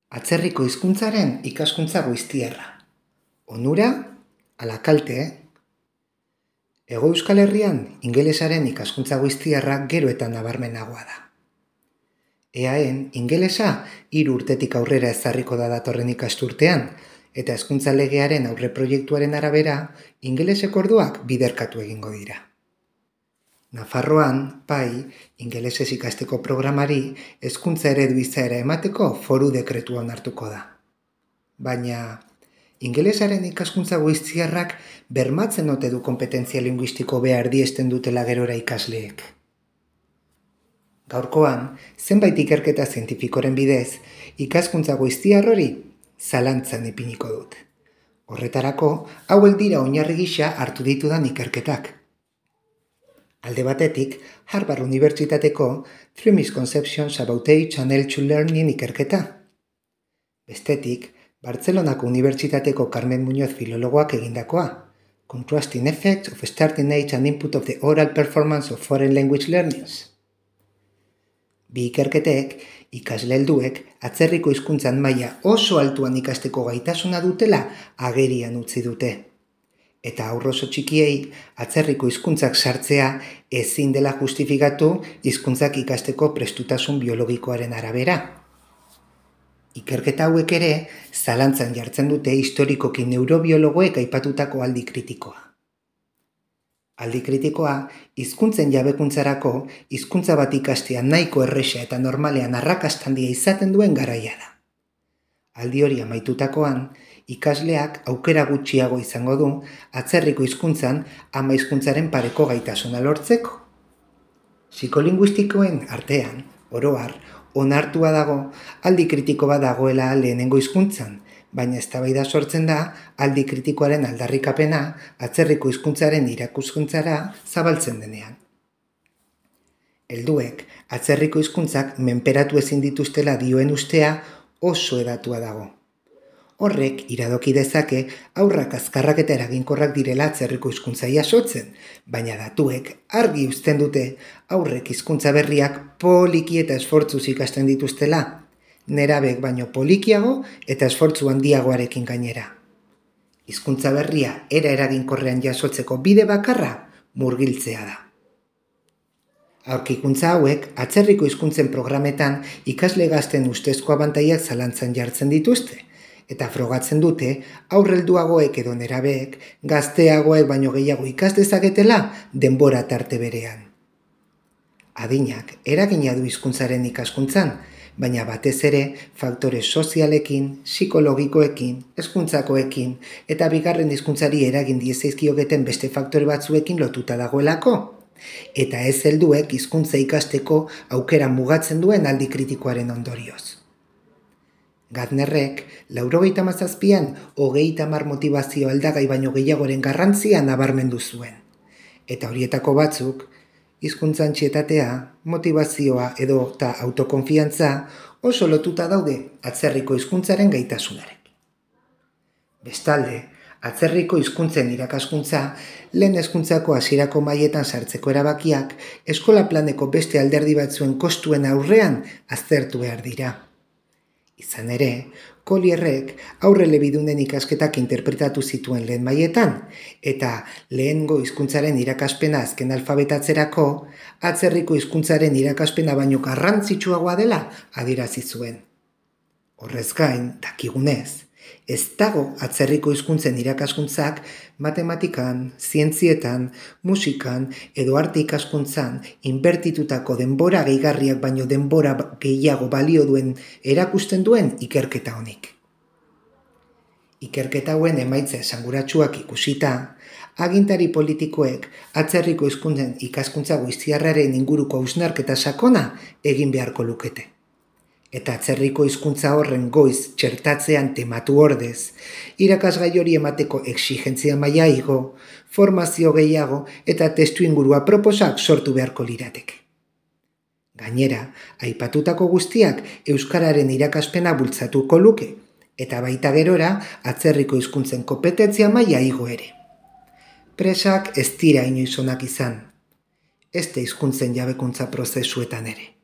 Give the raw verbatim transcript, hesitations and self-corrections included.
Atzerriko hizkuntzaren ikaskuntza goiztiarra. Onura, ala kalte, eh? Hego Euskal Herrian ingelesaren ikaskuntza goiztiarra gero eta nabarmenagoa da. Eaen, ingelesa hiru urtetik aurrera ezarriko da datorren ikasturtean, eta hezkuntza legearen aurreproiektuaren arabera, ingeleseko orduak biderkatu egingo dira. Nafarroan, pai, ingelesez ikasteko programari hezkuntza eredu izaera emateko foru dekretua onartuko da. Baina, ingelesaren ikaskuntza goiztiarrak bermatzen ote du kompetentzia linguistiko behar diesten dutela gerora ikasleek. Gaurkoan, zenbait ikerketa zientifikoren bidez, ikaskuntza goiztiar hori zalantzan ipiniko dut. Horretarako, hauek dira oinarri gisa hartu ditudan ikerketak. Alde batetik, Harvard Unibertsitateko Three Misconceptions About Age and Age Learning ikerketa. Bestetik, Bartzelonako Unibertsitateko Carmen Muñoz filologoak egindakoa, Contrasting Effects of Starting Age and Input of the Oral Performance of Foreign Language Learners. Bi ikerketek, ikasle helduek atzerriko hizkuntzan maila oso altuan ikasteko gaitasuna dutela agerian utzi dute. Eta haur oso txikiei atzerriko hizkuntzak sartzea ezin dela justifikatu hizkuntzak ikasteko prestutasun biologikoaren arabera. Ikerketa hauek ere zalantzan jartzen dute historikoki neurobiologoek aipatutako aldi kritikoa. Aldi kritikoa, hizkuntzen jabekuntzarako hizkuntza bat ikastea nahiko erresa eta normalean arrakasta handia izaten duen garaia da. Aldi hori amaitutakoan, ikasleak aukera gutxiago izango du atzerriko hizkuntzan ama hizkuntzaren pareko gaitasuna lortzeko. Psikolinguistikoen artean, oro har, onartua dago aldi kritiko bat dagoela lehenengo hizkuntzan, baina eztabaida sortzen da aldi kritikoaren aldarrikapena atzerriko hizkuntzaren irakuskuntzara zabaltzen denean. Helduek atzerriko hizkuntzak menperatu ezin dituztela dioen ustea oso hedatua dago. Horrek iradoki dezake haurrak azkarrak eta eraginkorrak direla atzerriko hizkuntza jasotzen, baina datuek argi uzten dute haurrek hizkuntza berriak poliki eta esfortzuz ikasten dituztela, nerabek baino polikiago eta esfortzu handiagoarekin gainera. Hizkuntza berria era eraginkorrean jasotzeko bide bakarra murgiltzea da. Aurkikuntza hauek atzerriko hizkuntzen programetan ikasle gazten ustezko abantaiak zalantzan jartzen dituzte, eta frogatzen dute aurrelduagoek edo nerabeek gazteagoek baino gehiago ikas dezaketela denbora tarte berean. Adinak eragina du hizkuntzaren ikaskuntzan, baina batez ere faktore sozialekin, psikologikoekin, hezkuntzakoekin eta bigarren hizkuntzari eragin diezaizkiogeten beste faktore batzuekin lotuta dagoelako, eta ez helduek hizkuntza ikasteko aukera mugatzen duen aldi kritikoaren ondorioz. Gardnerrek, laurogeita hamazazpian hogeita hamar motivazio aldagai baino gehiagoren garrantzia nabarmendu zuen. Eta horietako batzuk, hizkuntza antsietatea, motivazioa edo eta autokonfiantza oso lotuta daude atzerriko hizkuntzaren gaitasunarekin. Bestalde, atzerriko hizkuntzen irakaskuntza lehen hezkuntzako hasierako mailetan sartzeko erabakiak eskola planeko beste alderdi batzuen kostuen aurrean aztertu behar dira. Izan ere, Collierrek aurrelebidunen ikasketak interpretatu zituen lehen mailetan, eta lehengo hizkuntzaren irakaspena azken alfabetatzerako, atzerriko hizkuntzaren irakaspena baino garrantzitsuagoa dela adierazi zuen. Horrez gain, dakigunez, ez dago atzerriko hizkuntzen irakaskuntzak matematikan, zientzietan, musikan edo arte ikaskuntzan inbertitutako denbora gehigarriak baino denbora gehiago balio duen erakusten duen ikerketa honik. Ikerketa hauen emaitza esanguratsuak ikusita, agintari politikoek atzerriko hizkuntzen ikaskuntza goiztiarraren inguruko hausnarketa sakona egin beharko lukete. Eta atzerriko hizkuntza horren goiz txertatzean tematu ordez, irakasgai hori emateko exigentzia maila igo, formazio gehiago eta testu ingurua proposak sortu beharko lirateke. Gainera, aipatutako guztiak euskararen irakaspena bultzatuko luke, eta baita gerora atzerriko hizkuntzen kompetentzia maila igo ere. Presak ez dira inoiz onak izan, ezte hizkuntzen jabekuntza prozesuetan ere.